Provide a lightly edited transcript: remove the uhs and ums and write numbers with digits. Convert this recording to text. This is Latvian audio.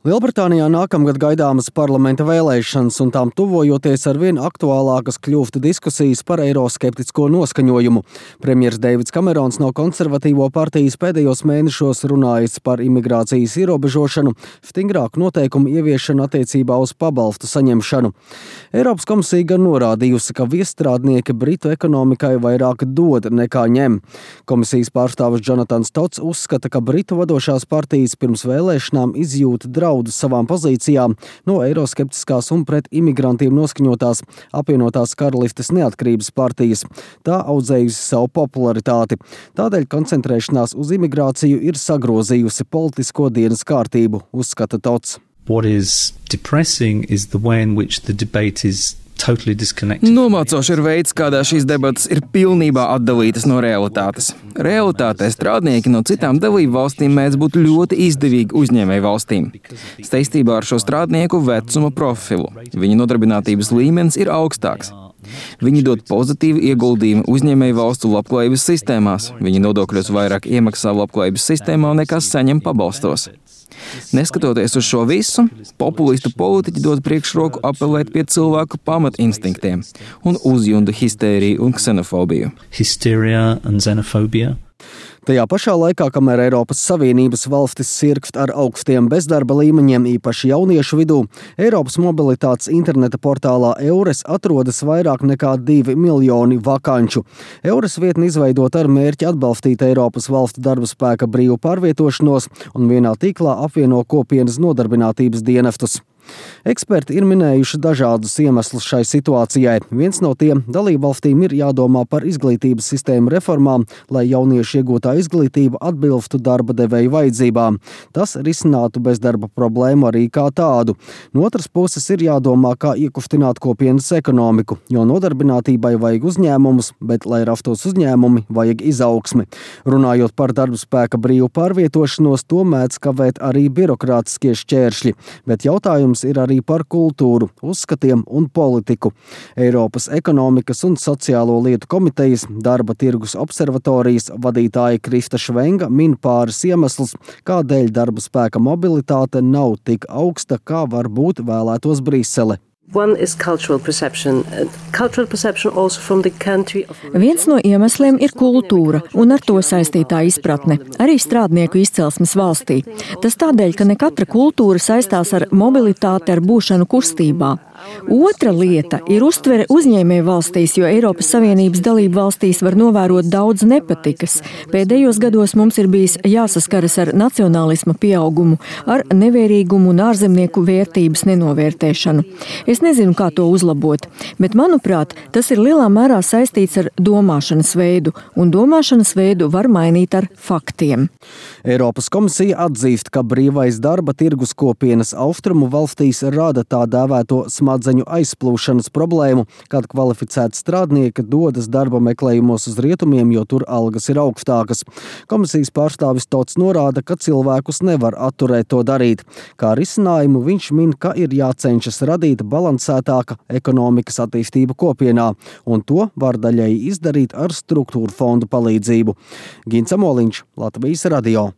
Lielbritānijā nākamgad gaidāmas parlamenta vēlēšanas, un tām tuvojoties arvien aktuālākas kļūst diskusijas par eiroskeptisko noskaņojumu. Premjers Deivids Kamerons no konservatīvo partijas pēdējos mēnešos runājis par imigrācijas ierobežošanu, stingrāku noteikumu ieviešanu attiecībā uz pabalstu saņemšanu. Eiropas komisija gan norādījusi, ka viestrādnieki Britu ekonomikai vairāk dod nekā ņem. Komisijas pārstāvis Jonatans Tots uzskata, ka Britu vadošās partijas pirms vēlēšanām izjūta draudus savām pozīcijām no eiroskeptiskās un pret imigrantiem noskaņotās apvienotās karalistes neatkarības partijas. Tā audzējusi savu popularitāti. Tādēļ koncentrēšanās uz imigrāciju ir sagrozījusi politisko dienas kārtību, uzskata Tots. What is depressing is the way in which the debate is Nomācoši ir veids, kādā šīs debatas ir pilnībā atdalītas no realitātes. Realitātē strādnieki no citām dalību valstīm mēdz būt ļoti izdevīgi uzņēmēju valstīm. Saistībā ar šo strādnieku vecuma profilu. Viņa nodarbinātības līmenis ir augstāks. Viņi dod pozitīvu ieguldījumu uzņēmēju valstu labklājības sistēmās. Viņi nodokļos vairāk iemaksā labklājības sistēmā nekā saņem pabalstos. Neskatoties uz šo visu, populistu politiķi dod priekšroku apelēt pie cilvēku pamatinstинktiem un uzjunda histēriju un ksenofobiju. Hysteria and xenophobia. Tajā pašā laikā, kamēr Eiropas Savienības valstis sirkst ar augstiem bezdarba līmeņiem, īpaši jauniešu vidū, Eiropas mobilitātes interneta portālā Eures atrodas vairāk nekā 2 miljoni vakanču. Eures vietni izveidot ar mērķi atbalstīt Eiropas valstu darba spēka brīvu pārvietošanos un vienā tīklā apvieno kopienas nodarbinātības dienestus. Eksperti ir minējuši dažādus iemeslus šai situācijai. Viens no tiem - dalībvalstīm ir jādomā par izglītības sistēmu reformām, lai jauniešu iegūtā izglītība atbilstu darba devēju vajadzībām. Tas risinātu bezdarba problēmu arī kā tādu. No otras puses ir jādomā, kā iekustināt kopienas ekonomiku, jo nodarbinātībai vajag uzņēmumus, bet, lai rastos uzņēmumi, vajag izaugsmi. Runājot par darba spēka brīvu pārvietošanos, to mēdz kavēt arī birokrātiskie šķēršļi, bet jautājums ir arī par kultūru, uzskatiem un politiku. Eiropas ekonomikas un sociālo lietu komitejas darba tirgus observatorijas vadītāja Krista Švenga min pāris iemeslus, kādēļ darba spēka mobilitāte nav tik augsta, kā varbūt vēlētos Brisele. Viens no iemesliem ir kultūra un ar to saistītā izpratne, arī strādnieku izcelsmes valstī. Tas tādēļ, ka ne katra kultūra saistās ar mobilitāti, ar būšanu kustībā. Otra lieta ir uztvere uzņēmēju valstīs, jo Eiropas Savienības dalību valstīs var novērot daudz nepatikas. Pēdējos gados mums ir bijis jāsaskaras ar nacionālisma pieaugumu, ar nevērīgumu un ārzemnieku vērtības nenovērtēšanu. Es nezinu, kā to uzlabot, bet, manuprāt, tas ir lielā mērā saistīts ar domāšanas veidu, un domāšanas veidu var mainīt ar faktiem. Eiropas komisija atzīst, ka brīvais darba tirgus kopienas austrumu valstīs rada tā dēvēto smadzeņu aizplūšanas problēmu, kad kvalificēti strādnieki dodas darba meklējumos uz rietumiem, jo tur algas ir augstākas. Komisijas pārstāvis Tots norāda, ka cilvēkus nevar atturēt to darīt. Kā risinājumu viņš min, ka ir jācenšas radīt balansētāka ekonomikas attīstība kopienā, un to var daļēji izdarīt ar struktūru fondu palīdzību. Gints Amoliņš, Latvijas radio.